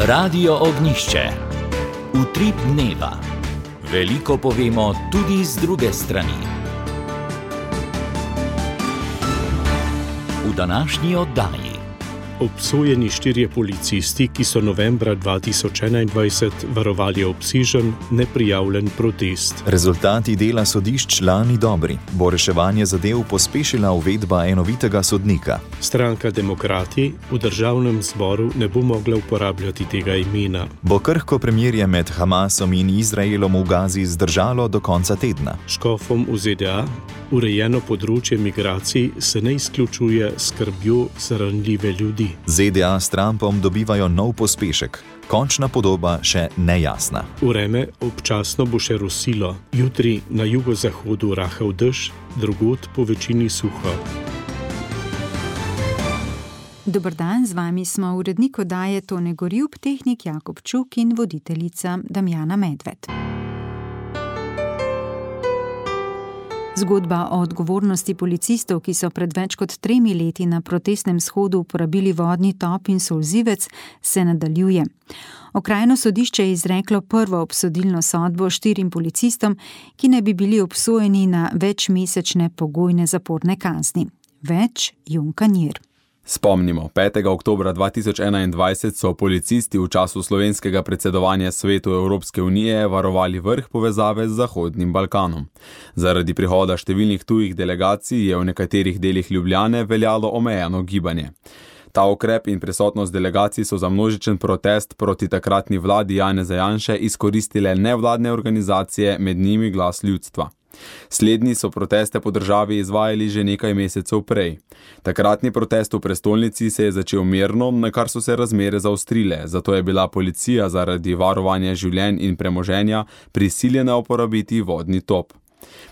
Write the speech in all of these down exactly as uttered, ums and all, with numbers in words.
Radio Ognjišče. Utrip dneva. Veliko povemo tudi z druge strani. V današnji oddaji. Obsojeni štirje policisti, ki so novembra dva tisoč enaindvajset varovali obsežen, neprijavljen protest. Rezultati dela sodišč lani dobri. Bo reševanje zadev pospešila uvedba enovitega sodnika. Stranka Demokrati v državnem zboru ne bo mogla uporabljati tega imena. Bo krhko premirje med Hamasom in Izraelom v Gazi zdržalo do konca tedna. Škofom v Z D A urejeno področje migracij se ne izključuje skrbjo za ranljive ljudi. Z D A s Trumpom dobivajo nov pospešek. Končna podoba še nejasna. Vreme občasno bo še rosilo. Jutri na jugozahodu rahel dež, drugod po večini suho. Dober dan, z vami smo urednik oddaje Tone Gorjub, tehnik Jakob Čuk in voditeljica Damjana Medved. Zgodba o odgovornosti policistov, ki so pred več kot tremi leti na protestnem shodu uporabili vodni top in solzivec, se nadaljuje. Okrajno sodišče je izreklo prvo obsodilno sodbo štirim policistom, ki naj bi bili obsojeni na večmesečne pogojne zaporne kazni. Več Jon Kanjer. Spomnimo, petega oktobra dva tisoč enaindvajset so policisti v času slovenskega predsedovanja Svetu Evropske unije varovali vrh povezave z Zahodnim Balkanom. Zaradi prihoda številnih tujih delegacij je v nekaterih delih Ljubljane veljalo omejeno gibanje. Ta ukrep in prisotnost delegacij so za množičen protest proti takratni vladi Janeza Janše izkoristile nevladne organizacije, med njimi Glas ljudstva. Slednji so proteste po državi izvajali že nekaj mesecev prej. Takratni protest v prestolnici se je začel mirno, na kar so se razmere zaostrile, zato je bila policija zaradi varovanja življenj in premoženja prisiljena uporabiti vodni top.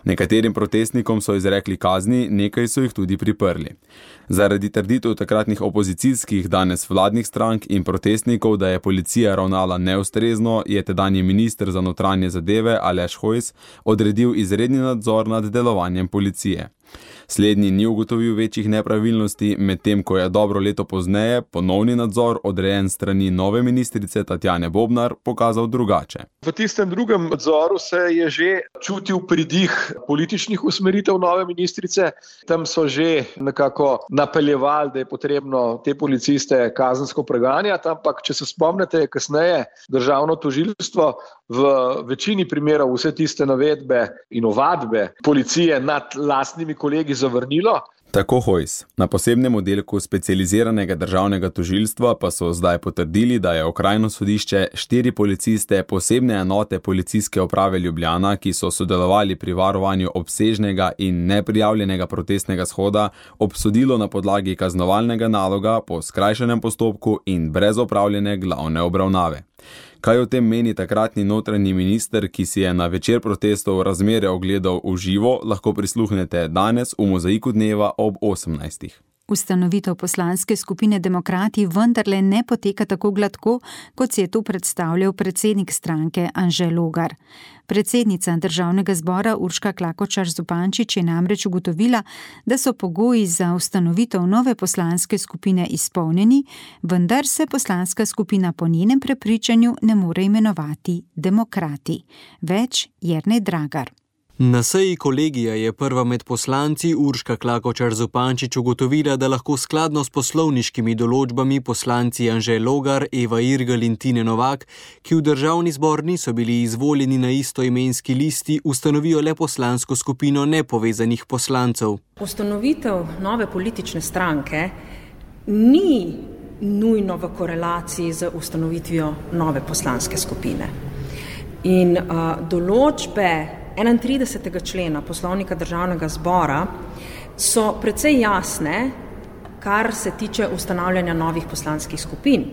Nekaterim protestnikom so izrekli kazni, nekaj so jih tudi priprli. Zaradi trditev takratnih opozicijskih, danes vladnih strank in protestnikov, da je policija ravnala neustrezno, je tedanji minister za notranje zadeve Aleš Hojs odredil izredni nadzor nad delovanjem policije. Slednji ni ugotovil večjih nepravilnosti, medtem ko je dobro leto pozneje ponovni nadzor, odrejen strani nove ministrice Tatjane Bobnar, pokazal drugače. V tistem drugem nadzoru se je že čutil pridih političnih usmeritev nove ministrice. Tam so že nekako napeljevali, da je potrebno te policiste kazensko preganjati, ampak če se spomnite, kasneje državno tožilstvo v večini primerov vse tiste navedbe in ovadbe policije nad lastnimi kolegi zavrnilo. Tako Hojs. Na posebnem oddelku specializiranega državnega tožilstva pa so zdaj potrdili, da je okrajno sodišče štiri policiste posebne enote policijske uprave Ljubljana, ki so sodelovali pri varovanju obsežnega in neprijavljenega protestnega shoda, obsodilo na podlagi kaznovalnega naloga po skrajšanem postopku in brez opravljene glavne obravnave. Kaj o tem meni takratni notranji minister, ki si je na večer protestov razmere ogledal v živo, lahko prisluhnete danes v Mozaiku dneva ob osemnajstih. Ustanovitev poslanske skupine Demokrati vendarle ne poteka tako gladko, kot si je to predstavljal predsednik stranke Anže Logar. Predsednica državnega zbora Urška Klakočar Zupančič je namreč ugotovila, da so pogoji za ustanovitev nove poslanske skupine izpolnjeni, vendar se poslanska skupina po njenem prepričanju ne more imenovati Demokrati. Več Jernej Dragar. Na seji kolegija je prva med poslanci Urška Klakočar Zupančič ugotovila, da lahko skladno s poslovniškimi določbami poslanci Anže Logar, Eva Irgl in Tine Novak, ki v državni zbor niso bili izvoljeni na istoimenski listi, ustanovijo le poslansko skupino nepovezanih poslancev. Ustanovitev nove politične stranke ni nujno v korelaciji z ustanovitvijo nove poslanske skupine. In uh, določbe enaintridesetega člena Poslovnika Državnega zbora so precej jasne, kar se tiče ustanavljanja novih poslanskih skupin.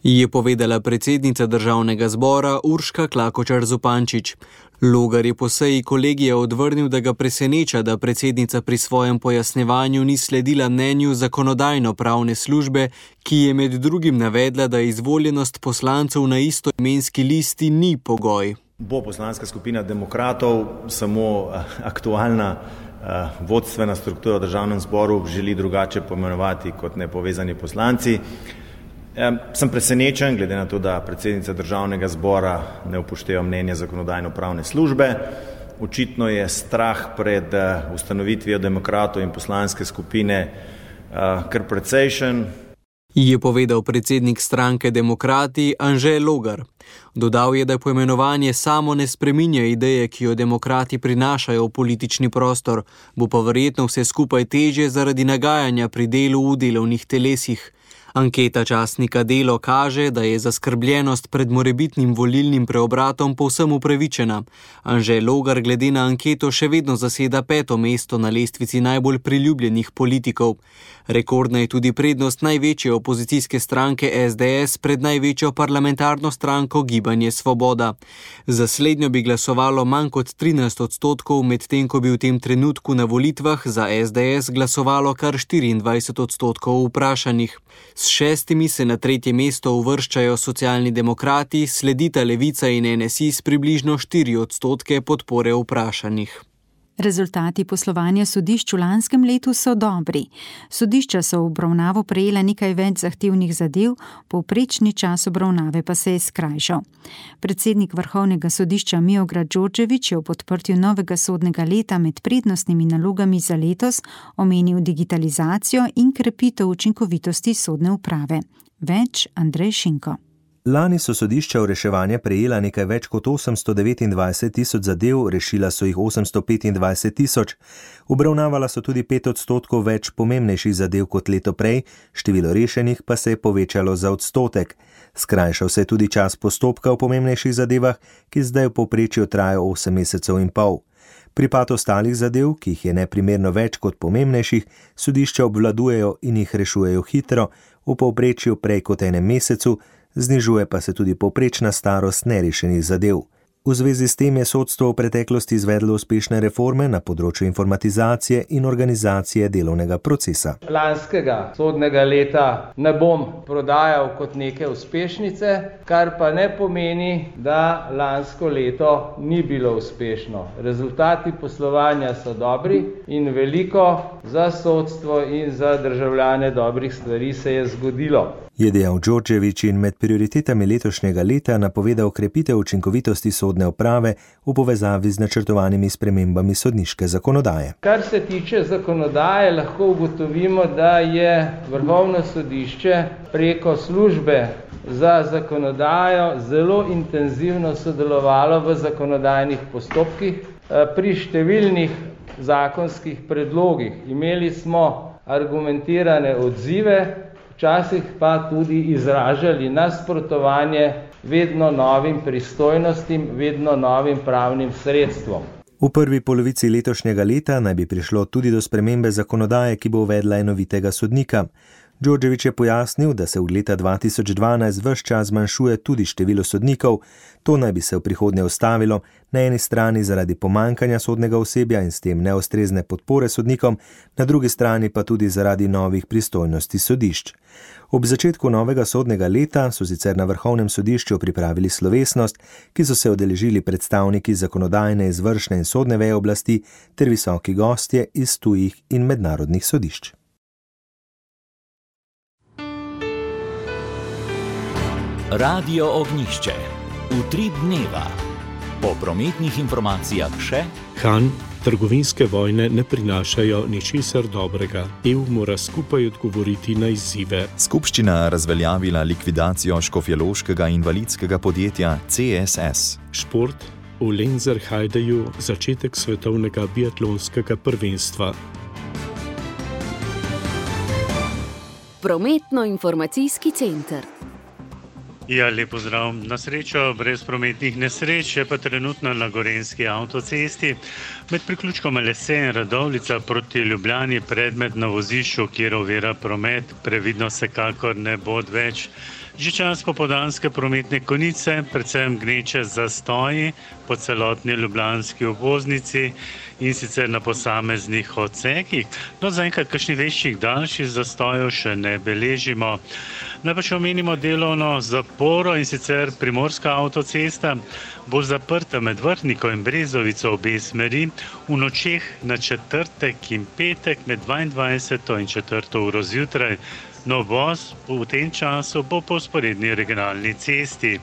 Je povedala predsednica Državnega zbora Urška Klakočar Zupančič. Logar je po seji kolegija odvrnil, da ga preseneča, da predsednica pri svojem pojasnevanju ni sledila mnenju zakonodajno-pravne službe, ki je med drugim navedla, da izvoljenost poslancev na istoimenski listi ni pogoj. Bo poslanska skupina Demokratov samo aktualna vodstvena struktura v državnem zboru želi drugače poimenovati kot nepovezani poslanci. Sem presenečen, glede na to, da predsednica državnega zbora ne upošteva mnenja zakonodajno-pravne službe. Očitno je strah pred ustanovitvijo demokratov in poslanske skupine kar precejšen. Je povedal predsednik stranke Demokrati Anže Logar. Dodal je, da poimenovanje samo ne spreminja ideje, ki jo demokrati prinašajo v politični prostor, bo pa verjetno vse skupaj težje zaradi nagajanja pri delu v delovnih telesih. Anketa časnika Delo kaže, da je zaskrbljenost pred morebitnim volilnim preobratom povsem upravičena. Anže Logar glede na anketo še vedno zaseda peto mesto na lestvici najbolj priljubljenih politikov. Rekordna je tudi prednost največje opozicijske stranke S D S pred največjo parlamentarno stranko Gibanje Svoboda. Za slednjo bi glasovalo manj kot trinajst odstotkov, medtem ko bi v tem trenutku na volitvah za S D S glasovalo kar štiriindvajset odstotkov vprašanih. S šestimi se na tretje mesto uvrščajo Socialni demokrati, sledita Levica in N S I s približno štiri odstotke podpore vprašanih. Rezultati poslovanja sodišč v lanskem letu so dobri. Sodišča so v obravnavo prejela nekaj več zahtevnih zadev, povprečni čas obravnave pa se je skrajšal. Predsednik Vrhovnega sodišča Miodrag Đorđević je v podprtju novega sodnega leta med prednostnimi nalogami za letos omenil digitalizacijo in krepitev učinkovitosti sodne uprave. Več Andrej Šinko. Lani so sodišča v reševanje prejela nekaj več kot osemsto devetindvajset tisoč zadev, rešila so jih osemsto petindvajset tisoč. Obravnavala so tudi pet odstotkov več pomembnejših zadev kot leto prej, število rešenih pa se je povečalo za odstotek. Skrajšal se je tudi čas postopka v pomembnejših zadevah, ki zdaj v povprečju traja osem mesecev in pol. Pripad ostalih zadev, ki jih je neprimerno več kot pomembnejših, sodišča obvladujejo in jih rešujejo hitro, v povprečju prej kot enem mesecu, znižuje pa se tudi povprečna starost nerešenih zadev. V zvezi s tem je sodstvo v preteklosti izvedlo uspešne reforme na področju informatizacije in organizacije delovnega procesa. Lanskega sodnega leta ne bom prodajal kot neke uspešnice, kar pa ne pomeni, da lansko leto ni bilo uspešno. Rezultati poslovanja so dobri in veliko za sodstvo in za državljane dobrih stvari se je zgodilo. Je dejal Đorđević in med prioritetami letošnjega leta napovedal krepitev učinkovitosti sodne uprave v povezavi z načrtovanimi spremembami sodniške zakonodaje. Kar se tiče zakonodaje, lahko ugotovimo, da je Vrhovno sodišče preko službe za zakonodajo zelo intenzivno sodelovalo v zakonodajnih postopkih pri številnih zakonskih predlogih. Imeli smo argumentirane odzive, včasih pa tudi izražali nasprotovanje vedno novim pristojnostim, vedno novim pravnim sredstvom. V prvi polovici letošnjega leta naj bi prišlo tudi do spremembe zakonodaje, ki bo uvedla enovitega sodnika. Đorđević je pojasnil, da se od leta dva tisoč dvanajst ves čas zmanjšuje tudi število sodnikov. To naj bi se v prihodnje ustavilo, na eni strani zaradi pomanjkanja sodnega osebja in s tem neustrezne podpore sodnikom, na drugi strani pa tudi zaradi novih pristojnosti sodišč. Ob začetku novega sodnega leta so sicer na Vrhovnem sodišču pripravili slovesnost, ki so se udeležili predstavniki zakonodajne, izvršne in sodne veje oblasti ter visoki gostje iz tujih in mednarodnih sodišč. Radio Ognjišče. Utrip dneva. Po prometnih informacijah še Han, trgovinske vojne ne prinašajo ničesar dobrega. E U mora skupaj odgovoriti na izzive. Skupščina razveljavila likvidacijo škofjeloškega invalidskega podjetja C S S. Šport. V Lenzerheideju začetek svetovnega biatlonskega prvenstva. Prometno-informacijski center. Ja, lep pozdrav. Na srečo brez prometnih nesreč je pa trenutno na Gorenjski avtocesti med priključkom Lese in Radovljica proti Ljubljani predmet na vozišču, kjer ovira promet, previdno se kakor ne bo več. Že čas popoldanske prometne konice, predvsem gneče zastoji po celotni ljubljanski obvoznici in sicer na posameznih odsekih. No, zaenkrat kakšnih večjih daljših zastojev še ne beležimo. Naj pa še omenimo delovno zaporo in sicer Primorska avtocesta bo zaprta med Vrhniko in Brezovico obe smeri v nočeh na četrtek in petek med dvaindvajseto in četrto uro zjutraj. No, voz v tem času bo po vzporedni regionalni cesti.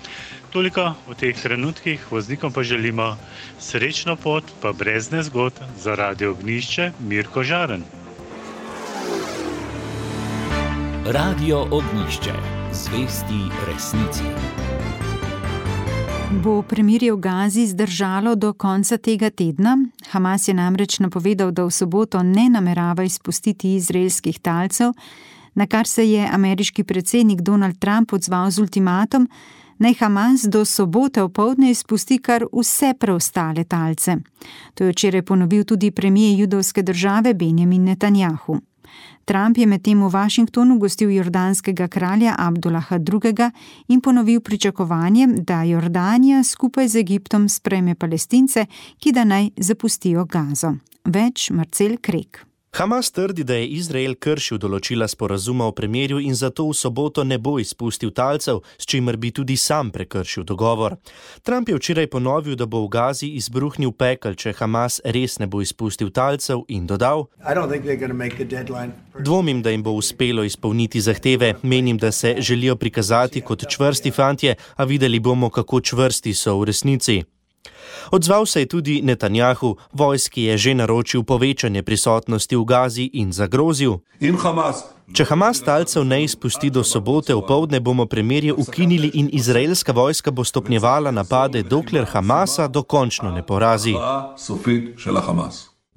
Toliko v teh trenutkih, voznikom pa želimo srečno pot, pa brez nezgod. Za Radio Ognjišče, Mirko Žaren. Radio Ognjišče, zvesti resnici. Bo premirje v Gazi zdržalo do konca tega tedna? Hamas je namreč napovedal, da v soboto ne namerava izpustiti izraelskih talcev, na kar se je ameriški predsednik Donald Trump odzval z ultimatom, naj Hamas do sobote opoldne izpusti kar vse preostale talce. To je včeraj ponovil tudi premijer judovske države Benjamin Netanjahu. Trump je medtem v Washingtonu gostil jordanskega kralja Abdullaha drugega. in ponovil pričakovanje, da Jordanija skupaj z Egiptom sprejme Palestince, ki da naj zapustijo Gazo. Več Marcel Krek. Hamas trdi, da je Izrael kršil določila sporazuma o premirju in zato v soboto ne bo izpustil talcev, s čimer bi tudi sam prekršil dogovor. Trump je včeraj ponovil, da bo v Gazi izbruhnil pekel, če Hamas res ne bo izpustil talcev, in dodal: Dvomim, da jim bo uspelo izpolniti zahteve. Menim, da se želijo prikazati kot čvrsti fantje, a videli bomo, kako čvrsti so v resnici. Odzval se je tudi Netanjahu, vojski je že naročil povečanje prisotnosti v Gazi in zagrozil: Če Hamas talcev ne izpusti do sobote opoldne, bomo premirje ukinili in izraelska vojska bo stopnjevala napade, dokler Hamasa dokončno ne porazi.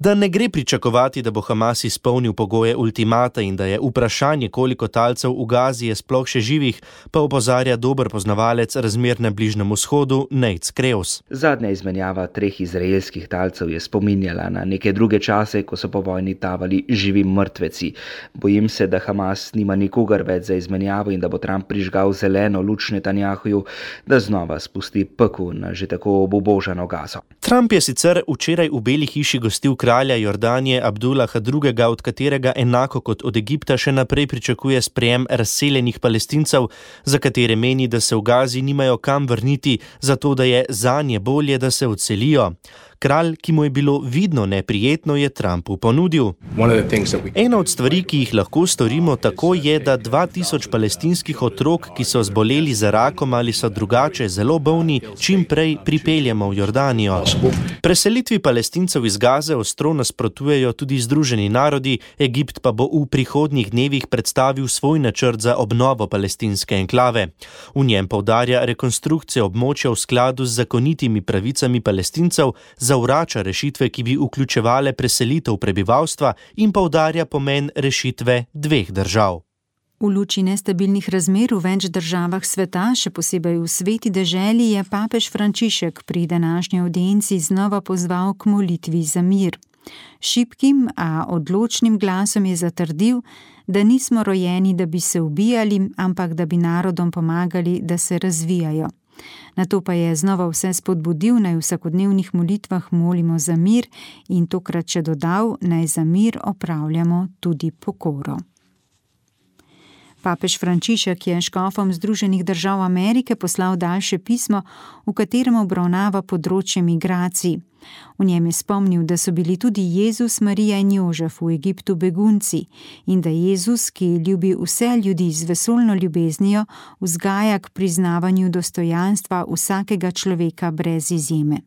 Da ne gre pričakovati, da bo Hamas izpolnil pogoje ultimata in da je vprašanje, koliko talcev v Gazi je sploh še živih, pa opozarja dober poznavalec razmer na Bližnjem vzhodu Nate Kreus. Zadnja izmenjava treh izraelskih talcev je spominjala na neke druge čase, ko so po vojni tavali živi mrtveci. Bojim se, da Hamas nima nikogar več za izmenjavo in da bo Trump prižgal zeleno luč Netanjahuju, da znova spusti pekel na že tako obubožano Gazo. Trump je sicer včeraj v Beli hiši gostil kralja Jordanije Abdullaha drugega, od katerega enako kot od Egipta še naprej pričakuje sprejem razseljenih Palestincev, za katere meni, da se v Gazi nimajo kam vrniti, zato da je zanje bolje, da se odselijo. Kralj, ki mu je bilo vidno neprijetno, je Trumpu ponudil: Ena od stvari, ki jih lahko storimo tako, je, da dva tisoč palestinskih otrok, ki so zboleli za rakom ali so drugače zelo bolni, čim prej pripeljemo v Jordanijo. Preselitvi Palestincev iz Gaze ostro nasprotujejo tudi Združeni narodi, Egipt pa bo v prihodnjih dnevih predstavil svoj načrt za obnovo palestinske enklave. V njem poudarja rekonstrukcijo območja v skladu z zakonitimi pravicami Palestincev, zavrača rešitve, ki bi vključevale preselitev prebivalstva, in poudarja pomen rešitve dveh držav. V luči nestabilnih razmer v več državah sveta, še posebej v sveti deželi, je papež Frančišek pri današnji avdienci znova pozval k molitvi za mir. Šibkim, a odločnim glasom je zatrdil, da nismo rojeni, da bi se ubijali, ampak da bi narodom pomagali, da se razvijajo. Nato pa je znova vse spodbudil, naj v vsakodnevnih molitvah molimo za mir in tokrat še dodal, naj za mir opravljamo tudi pokoro. Papež Frančišek je škofom Združenih držav Amerike poslal daljše pismo, v katerem obravnava področje migracij. V njem je spomnil, da so bili tudi Jezus, Marija in Jožef v Egiptu begunci in da Jezus, ki ljubi vse ljudi z vesoljno ljubeznijo, vzgaja k priznavanju dostojanstva vsakega človeka brez izjeme.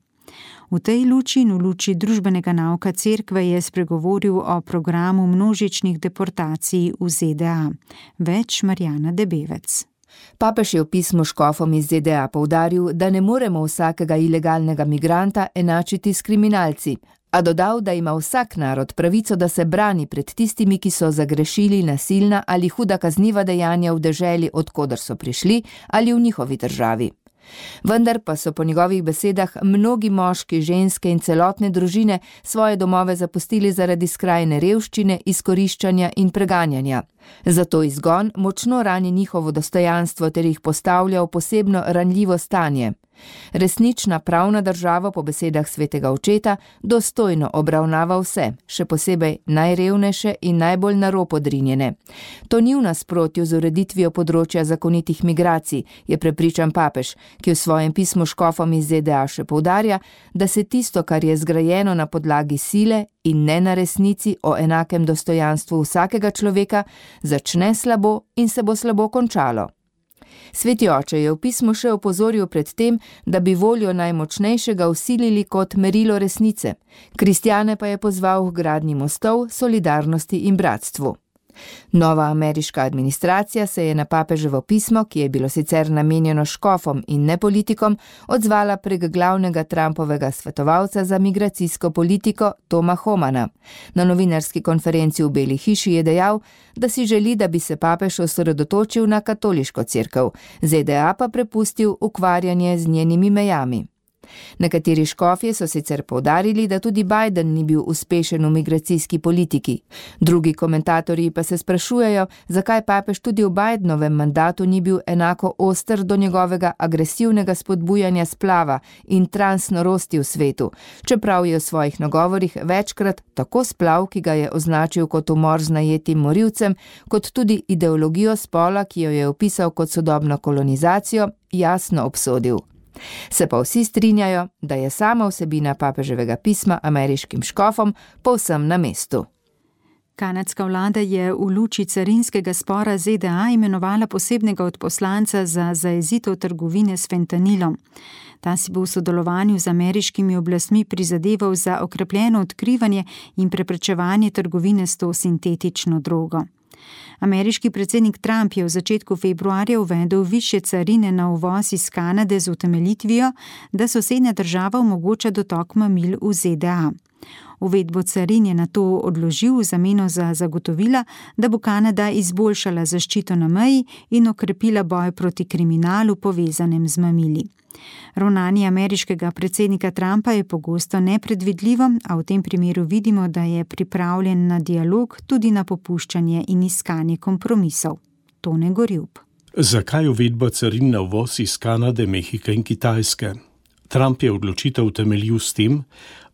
V tej luči in v luči družbenega nauka cerkve je spregovoril o programu množičnih deportacij v Z D A. Več Marjana Debevec. Papež je v pismu škofom iz Z D A poudaril, da ne moremo vsakega ilegalnega migranta enačiti s kriminalci, a dodal, da ima vsak narod pravico, da se brani pred tistimi, ki so zagrešili nasilna ali huda kazniva dejanja v deželi, od koder so prišli, ali v njihovi državi. Vendar pa so po njegovih besedah mnogi moški, ženske in celotne družine svoje domove zapustili zaradi skrajne revščine, izkoriščanja in preganjanja. Zato izgon močno rani njihovo dostojanstvo ter jih postavlja v posebno ranljivo stanje. Resnična pravna država po besedah svetega očeta dostojno obravnava vse, še posebej najrevnejše in najbolj na rob odrinjene. To ni v nasprotju z ureditvijo področja zakonitih migracij, je prepričan papež, ki v svojem pismu škofom iz Z D A še poudarja, da se tisto, kar je zgrajeno na podlagi sile in ne na resnici o enakem dostojanstvu vsakega človeka, začne slabo in se bo slabo končalo. Sveti oče je v pismu še opozoril pred tem, da bi voljo najmočnejšega vsilili kot merilo resnice. Kristjane pa je pozval k gradnji mostov, solidarnosti in bratstvu. Nova ameriška administracija se je na papeževo pismo, ki je bilo sicer namenjeno škofom in ne politikom, odzvala prek glavnega Trumpovega svetovalca za migracijsko politiko Toma Homana. Na novinarski konferenci v Beli hiši je dejal, da si želi, da bi se papež osredotočil na katoliško cerkev, Z D A pa prepustil ukvarjanje z njenimi mejami. Nekateri škofje so sicer poudarili, da tudi Biden ni bil uspešen v migracijski politiki. Drugi komentatorji pa se sprašujejo, zakaj papež tudi v Bidenovem mandatu ni bil enako oster do njegovega agresivnega spodbujanja splava in transnorosti v svetu, čeprav je v svojih nagovorih večkrat tako splav, ki ga je označil kot umor z najetim morilcem, kot tudi ideologijo spola, ki jo je opisal kot sodobno kolonizacijo, jasno obsodil. Se pa vsi strinjajo, da je sama vsebina papeževega pisma ameriškim škofom povsem na mestu. Kanadska vlada je v luči carinskega spora Z D A imenovala posebnega odposlanca za zajezitev trgovine s fentanilom. Ta si bo v sodelovanju z ameriškimi oblastmi prizadeval za okrepljeno odkrivanje in preprečevanje trgovine s to sintetično drogo. Ameriški predsednik Trump je v začetku februarja uvedel višje carine na uvoz iz Kanade z utemeljitvijo, da sosednja država omogoča dotok mamil v Z D A. Uvedbo carin je nato odložil v zameno za zagotovila, da bo Kanada izboljšala zaščito na meji in okrepila boj proti kriminalu povezanem z mamili. Ravnanje ameriškega predsednika Trumpa je pogosto nepredvidljivo, a v tem primeru vidimo, da je pripravljen na dialog, tudi na popuščanje in iskanje kompromisov. Tone Gorjup. Zakaj uvedba carin na uvoz iz Kanade, Mehike in Kitajske? Trump je odločitev utemeljil s tem,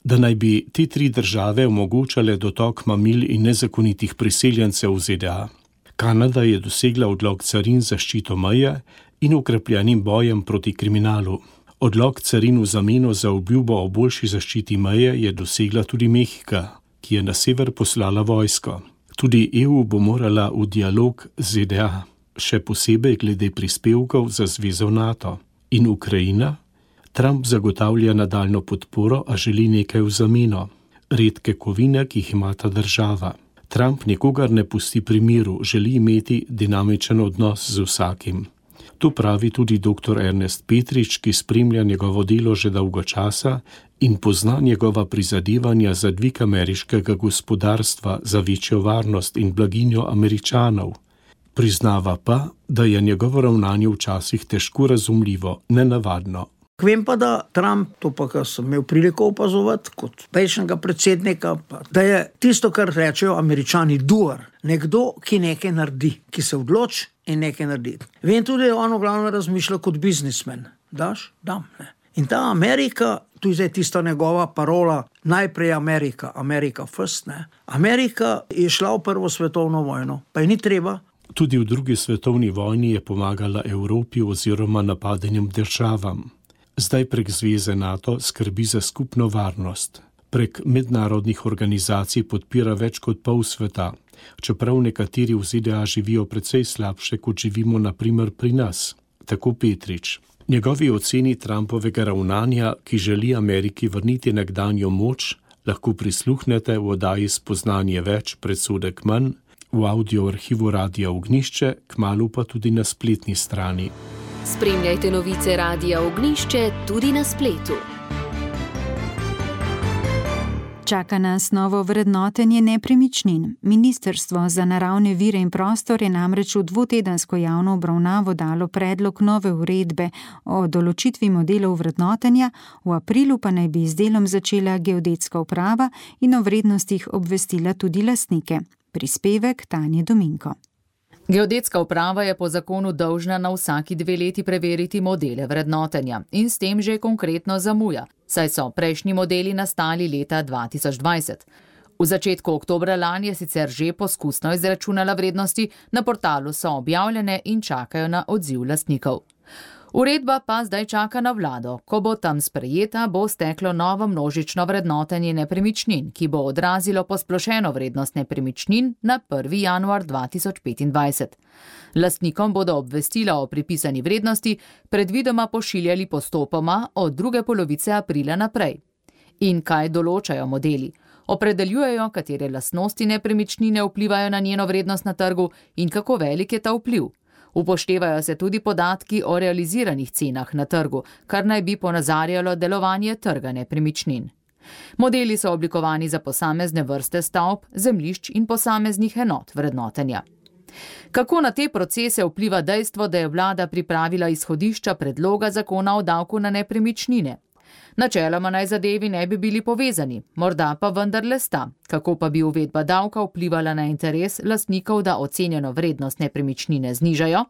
da naj bi te tri države omogočale dotok mamil in nezakonitih priseljencev v Z D A. Kanada je dosegla odlog carin za zaščito meje in ukrepljenim bojem proti kriminalu. Odlog carin v zameno za obljubo o boljši zaščiti meje je dosegla tudi Mehika, ki je na sever poslala vojsko. Tudi E U bo morala v dialog z Z D A, še posebej glede prispevkov za zvezo NATO. In Ukrajina? Trump zagotavlja nadaljno podporo, a želi nekaj v zameno. Redke kovine, ki jih ima ta država. Trump nikogar ne pusti pri miru, želi imeti dinamičen odnos z vsakim. To pravi tudi doktor Ernest Petrič, ki spremlja njegovo delo že dolgo časa in pozna njegova prizadevanja za dvig ameriškega gospodarstva, za večjo varnost in blaginjo Američanov. Priznava pa, da je njegovo ravnanje včasih težko razumljivo, nenavadno. Vem pa, da Trump, to pa, kar sem imel priliko opazovati kot prejšnjega predsednika, pa, da je tisto, kar rečejo Američani, doer. Nekdo, ki nekaj naredi, ki se odloči in nekaj naredi. Vem tudi, da on glavno razmišlja kot biznismen. Daš? Dam. Ne. In ta Amerika, tu je tista njegova parola, najprej Amerika, Amerika first. Ne. Amerika je šla v prvo svetovno vojno, pa je ni treba. Tudi v drugi svetovni vojni je pomagala Evropi oziroma napadenim državam. Zdaj prek zveze NATO skrbi za skupno varnost. Prek mednarodnih organizacij podpira več kot pol sveta, čeprav nekateri v Z D A živijo precej slabše, kot živimo na primer pri nas. Tako Petrič. Njegovi oceni Trumpovega ravnanja, ki želi Ameriki vrniti nekdanjo moč, lahko prisluhnete v oddaji Spoznanje več, predsodek manj, v audio arhivu Radia Ognišče, kmalu pa tudi na spletni strani. Spremljajte novice Radia Ognišče tudi na spletu. Čaka nas novo vrednotenje nepremičnin. Ministrstvo za naravne vire in prostor je namreč v dvotedensko javno obravnavo dalo predlog nove uredbe o določitvi modelov vrednotenja, v aprilu pa naj bi z delom začela geodetska uprava in o vrednostih obvestila tudi lastnike. Prispevek Tanje Dominko. Geodetska uprava je po zakonu dolžna na vsaki dve leti preveriti modele vrednotenja in s tem že konkretno zamuja, saj so prejšnji modeli nastali leta dva tisoč dvajset. V začetku oktobra lani je sicer že poskusno izračunala vrednosti, na portalu so objavljene in čakajo na odziv lastnikov. Uredba pa zdaj čaka na vlado. Ko bo tam sprejeta, bo steklo novo množično vrednotenje nepremičnin, ki bo odrazilo posplošeno vrednost nepremičnin na prvi januar dva tisoč petindvajset. Lastnikom bodo obvestila o pripisani vrednosti predvidoma pošiljali postopoma od druge polovice aprila naprej. In kaj določajo modeli? Opredeljujejo, katere lastnosti nepremičnine vplivajo na njeno vrednost na trgu in kako velik je ta vpliv. Upoštevajo se tudi podatki o realiziranih cenah na trgu, kar naj bi ponazarjalo delovanje trga nepremičnin. Modeli so oblikovani za posamezne vrste stavb, zemljišč in posameznih enot vrednotenja. Kako na te procese vpliva dejstvo, da je vlada pripravila izhodišča predloga zakona o davku na nepremičnine? Načeloma naj zadevi ne bi bili povezani, morda pa vendarle sta. Kako pa bi uvedba davka vplivala na interes lastnikov, da ocenjeno vrednost nepremičnine znižajo?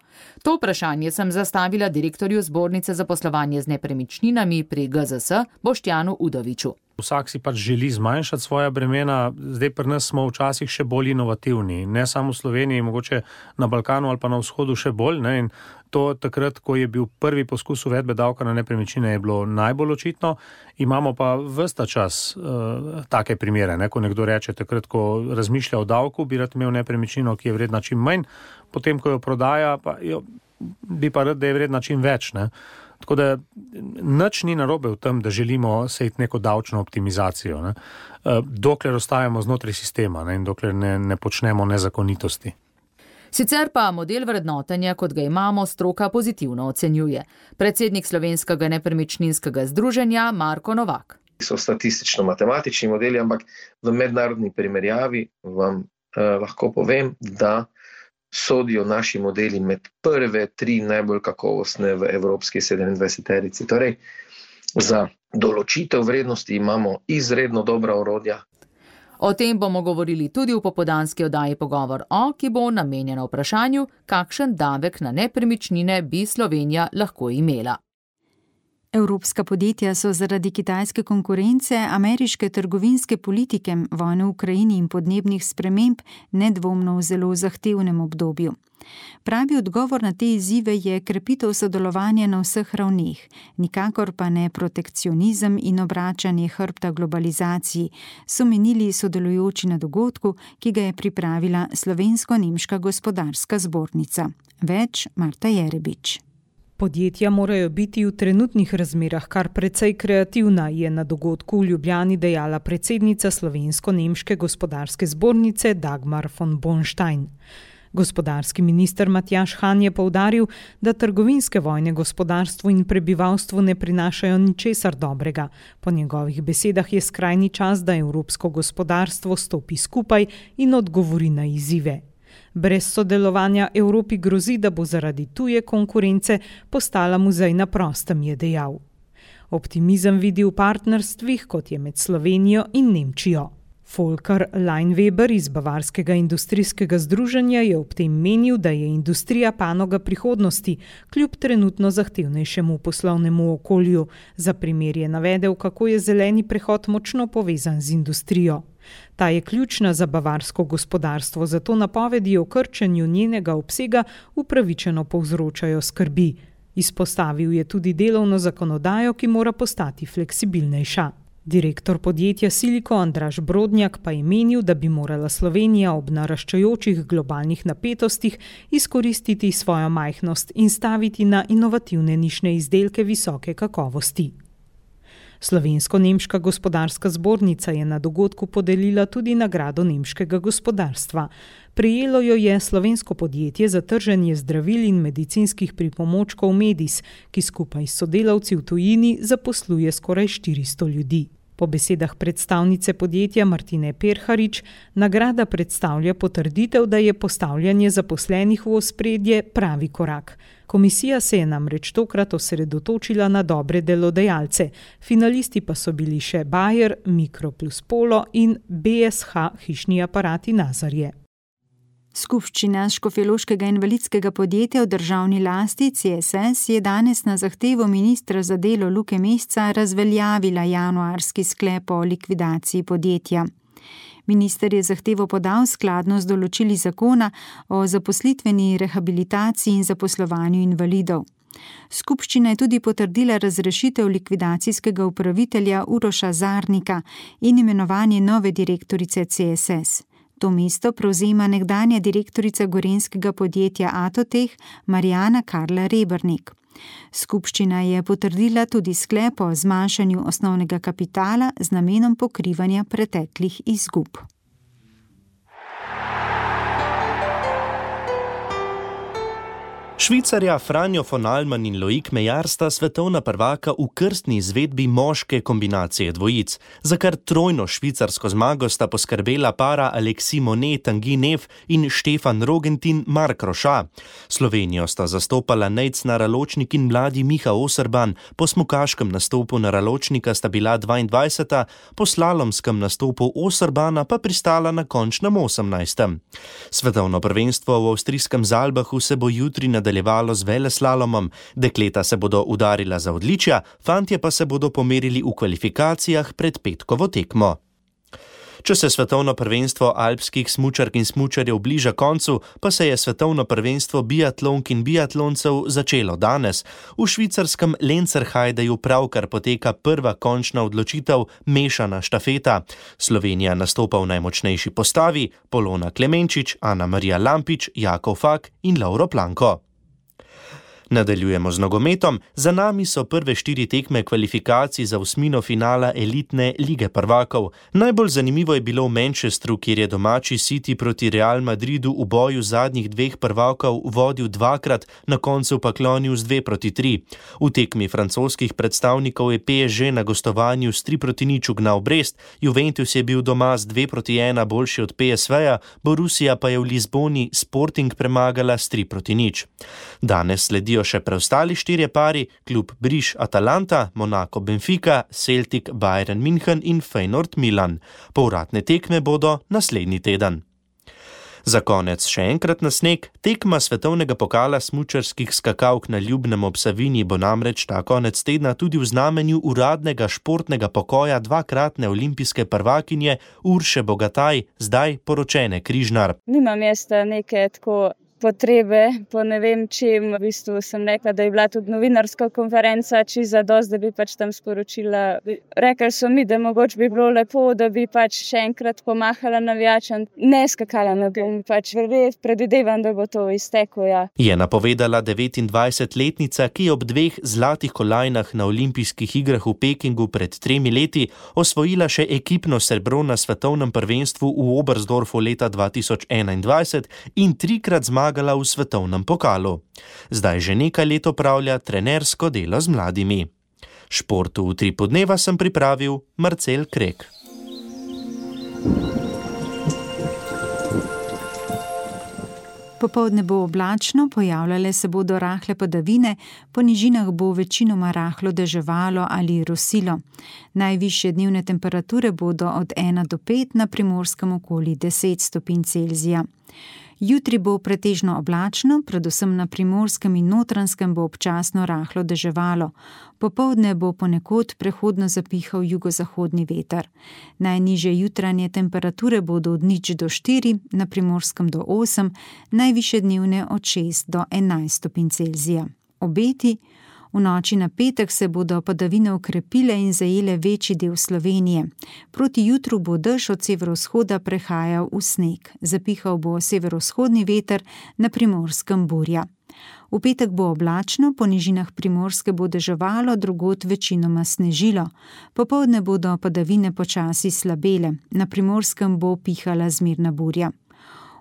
To vprašanje sem zastavila direktorju Zbornice za poslovanje z nepremičninami pri G Z S Boštjanu Udoviču. Vsak si pač želi zmanjšati svoja bremena, zdaj pri nas smo včasih še bolj inovativni, ne samo v Sloveniji, mogoče na Balkanu ali pa na vzhodu še bolj, ne, in to takrat, ko je bil prvi poskus uvedbe davka na nepremičnine, je bilo najbolj očitno, imamo pa ves ta čas uh, take primere, ne, ko nekdo reče takrat, ko razmišlja o davku, bi rad imel nepremičnino, ki je vredna čim manj, potem, ko jo prodaja, pa jo, bi pa rad, da je vredna čim več, ne. Tako da nič ni narobe v tem, da želimo sejti neko davčno optimizacijo, ne? Dokler ostajamo znotraj sistema, ne? In dokler ne, ne počnemo nezakonitosti. Sicer pa model vrednotenja, kot ga imamo, stroka pozitivno ocenjuje. Predsednik Slovenskega nepremičninskega združenja Marko Novak. So statistično-matematični modeli, ampak v mednarodni primerjavi vam eh, lahko povem, da sodijo naši modeli med prve tri najbolj kakovostne v evropski sedemindvajseterici. Torej, za določitev vrednosti imamo izredno dobra orodja. O tem bomo govorili tudi v popoldanski oddaji Pogovor o, ki bo namenjena vprašanju, kakšen davek na nepremičnine bi Slovenija lahko imela. Evropska podjetja so zaradi kitajske konkurence, ameriške trgovinske politike, vojne v Ukrajini in podnebnih sprememb nedvomno v zelo zahtevnem obdobju. Pravi odgovor na te izzive je krepitev sodelovanja na vseh ravneh, nikakor pa ne protekcionizem in obračanje hrbta globalizaciji, so menili sodelujoči na dogodku, ki ga je pripravila Slovensko-nemška gospodarska zbornica. Več Marta Jerebič. Podjetja morajo biti v trenutnih razmerah kar precej kreativna, je na dogodku v Ljubljani dejala predsednica Slovensko-nemške gospodarske zbornice Dagmar von Bornstein. Gospodarski minister Matjaž Han je poudaril, da trgovinske vojne gospodarstvu in prebivalstvu ne prinašajo ničesar dobrega. Po njegovih besedah je skrajni čas, da evropsko gospodarstvo stopi skupaj in odgovori na izzive. Brez sodelovanja Evropi grozi, da bo zaradi tuje konkurence postala muzej na prostem, je dejal. Optimizem vidi v partnerstvih, kot je med Slovenijo in Nemčijo. Volker Leinweber iz Bavarskega industrijskega združenja je ob tem menil, da je industrija panoga prihodnosti, kljub trenutno zahtevnejšemu poslovnemu okolju. Za primer je navedel, kako je zeleni prehod močno povezan z industrijo. Ta je ključna za bavarsko gospodarstvo, zato napovedi o krčenju njenega obsega upravičeno povzročajo skrbi. Izpostavil je tudi delovno zakonodajo, ki mora postati fleksibilnejša. Direktor podjetja Siliko Andraž Brodnjak pa je menil, da bi morala Slovenija ob naraščajočih globalnih napetostih izkoristiti svojo majhnost in staviti na inovativne nišne izdelke visoke kakovosti. Slovensko-nemška gospodarska zbornica je na dogodku podelila tudi nagrado nemškega gospodarstva. Prejelo jo je slovensko podjetje za trženje zdravil in medicinskih pripomočkov Medis, ki skupaj s sodelavci v tujini zaposluje skoraj štiristo ljudi. Po besedah predstavnice podjetja Martine Perharič, nagrada predstavlja potrditev, da je postavljanje zaposlenih v ospredje pravi korak. Komisija se je namreč tokrat osredotočila na dobre delodajalce, finalisti pa so bili še Bayer, Mikro plus Polo in B S H hišni aparati Nazarje. Skupščina Škofjeloškega invalidskega podjetja v državni lasti C S S je danes na zahtevo ministra za delo Luke Mesca razveljavila januarski sklep o likvidaciji podjetja. Minister je zahtevo podal skladno z določili zakona o zaposlitveni rehabilitaciji in zaposlovanju invalidov. Skupščina je tudi potrdila razrešitev likvidacijskega upravitelja Uroša Zarnika in imenovanje nove direktorice C S S. To mesto prevzema nekdanja direktorica gorenjskega podjetja Atoteh Marjana Karla Rebernik. Skupščina je potrdila tudi sklep o zmanjšanju osnovnega kapitala z namenom pokrivanja preteklih izgub. Švicarja Franjo von Allmann in Loic Meillard sta svetovna prvaka v krstni izvedbi moške kombinacije dvojic. Za kar trojno švicarsko zmago sta poskrbela para Alexis Monet Tanguy Neff in Štefan Rogentin Mark Roša. Slovenijo sta zastopala Nejc Naraločnik in mladi Miha Oserban, po smukaškem nastopu Naraločnika sta bila dvaindvajseta, po slalomskem nastopu Oserbana pa pristala na končnem osemnajstem. Svetovno prvenstvo v avstrijskem Zalbahu se bo jutri nadaljevalo z veleslalomom, dekleta se bodo udarila za odličja, fantje pa se bodo pomerili v kvalifikacijah pred petkovo tekmo. Če se svetovno prvenstvo alpskih smučark in smučarjev bliža koncu, pa se je svetovno prvenstvo biatlonk in biatloncev začelo danes. V švicarskem Lenzerheideju pravkar poteka prva končna odločitev, mešana štafeta. Slovenija nastopa v najmočnejši postavi, Polona Klemenčič, Ana Marija Lampič, Jakov Fak in Lauro Planko. Nadaljujemo z nogometom. Za nami so prve štiri tekme kvalifikacij za osmino finala elitne lige prvakov. Najbolj zanimivo je bilo v Manchesteru, kjer je domači City proti Real Madridu v boju zadnjih dveh prvakov vodil dvakrat, na koncu pa klonil z dve proti tri. V tekmi francoskih predstavnikov je P S G na gostovanju s tri proti nič ugnal Brest, Juventus je bil doma z dve proti ena boljši od P S V-ja, Borussia pa je v Lizboni Sporting premagala s tri proti nič. Danes sledijo še preostali štirje pari, klub Briš Atalanta, Monaco Benfica, Celtic Bayern München in Feyenoord Milan. Povratne tekme bodo naslednji teden. Za konec še enkrat na sneg. Tekma svetovnega pokala smučarskih skakalk na Ljubnem ob Savinji bo namreč ta konec tedna tudi v znamenju uradnega športnega pokoja dvakratne olimpijske prvakinje Urše Bogataj, zdaj poročene Križnar. Nimam jaz neke tako potrebe, po ne vem čem, v bistvu sem rekla, da je bila tudi novinarska konferenca, či za dost, da bi pač tam sporočila. Rekli so mi, da mogoče bi bilo lepo, da bi pač še enkrat pomahala navijačem. Ne skakala na bom, pač predvidevam, da bo to izteklo, ja. Je napovedala devetindvajsetletnica, ki je ob dveh zlatih kolajnah na olimpijskih igrah v Pekingu pred tremi leti osvojila še ekipno srebro na svetovnem prvenstvu v Oberstdorfu leta dva tisoč enaindvajset in trikrat zmagala v svetovnem pokalu. Zdaj že nekaj let opravlja trenersko delo z mladimi. Športu v Utripu dneva sem pripravil Marcel Krek. Popoldne bo oblačno, pojavljale se bodo rahle padavine, po nižinah bo večinoma rahlo deževalo ali rosilo. Najvišje dnevne temperature bodo od ena do pet, na Primorskem okoli deset stopinj Celzija. Jutri bo pretežno oblačno, predvsem na Primorskem in Notranjskem bo občasno rahlo deževalo. Popoldne bo ponekod prehodno zapihal jugozahodni veter. Najnižje jutranje temperature bodo od nič do štiri, na Primorskem do osem, najvišje dnevne od šest do enajst stopinj Celzija. Obeti: v noči na petek se bodo padavine okrepile in zajele večji del Slovenije. Proti jutru bo dež od severovzhoda prehajal v sneg. Zapihal bo severovzhodni veter, na Primorskem burja. V petek bo oblačno, po nižinah Primorske bo deževalo, drugod večinoma snežilo. Popoldne bodo padavine počasi slabele, na Primorskem bo pihala zmerna burja.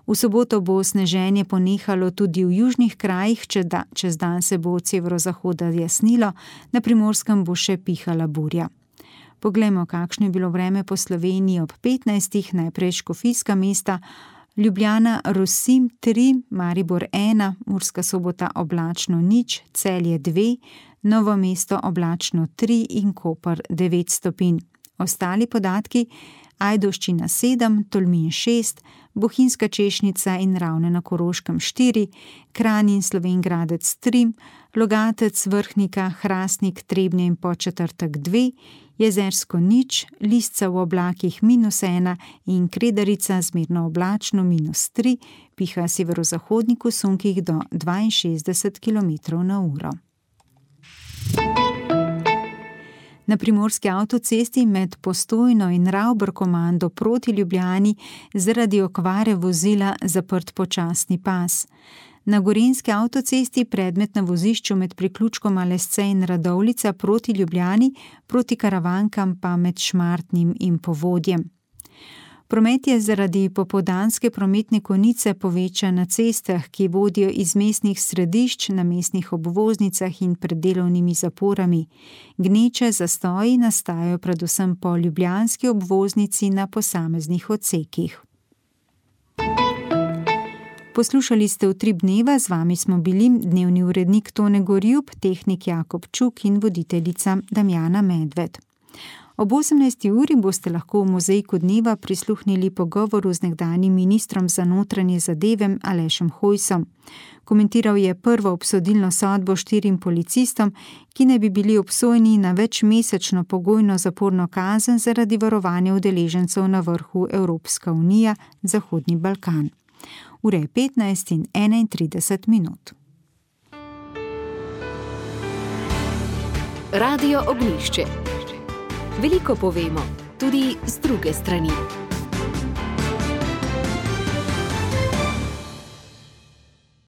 V soboto bo sneženje ponehalo tudi v južnih krajih, čez dan se bo od severozahoda jasnilo, na Primorskem bo še pihala burja. Poglejmo, kakšno je bilo vreme po Sloveniji ob petnajstih, najprej škofijska mesta: Ljubljana, Rosim tri, Maribor ena, Murska Sobota oblačno nič, Celje dve, Novo mesto oblačno tri in Koper devet stopinj. Ostali podatki: Ajdovščina sedem, Tolmin šest, Bohinjska Češnica in Ravne na Koroškem štiri, Kranj in Slovenj Gradec tri, Logatec, Vrhnika, Hrastnik, Trebnje in Podčetrtek dve, Jezersko nič, Lisca v oblakih minus ena in Kredarica zmerno oblačno minus tri, piha severozahodnik v sunkih do dvainšestdeset kilometrov na uro. Na primorski avtocesti med Postojno in Ravbrkomando proti Ljubljani zaradi okvare vozila zaprt počasni pas. Na gorenjski avtocesti predmet na vozišču med priključkoma Lesce in Radovljica proti Ljubljani, proti Karavankam pa med Šmartnim in Povodjem. Promet je zaradi popoldanske prometne konice povečan na cestah, ki vodijo iz mestnih središč na mestnih obvoznicah in pred delovnimi zaporami. Gneče zastoji nastajajo predvsem po ljubljanski obvoznici na posameznih odsekih. Poslušali ste Utrip dneva, z vami smo bili dnevni urednik Tone Gorjub, tehnik Jakob Čuk in voditeljica Damjana Medved. Ob osemnajsti uri boste lahko v Mozaiku dneva prisluhnili pogovoru z nekdanjim ministrom za notranje zadeve Alešem Hojsom. Komentiral je prvo obsodilno sodbo štirim policistom, ki naj bi bili obsojeni na večmesečno pogojno zaporno kazen zaradi varovanja udeležencev na vrhu Evropska unija Zahodni Balkan. Ura je petnajst in enaintrideset minut. Radio Ognjišče. Veliko povemo, tudi z druge strani.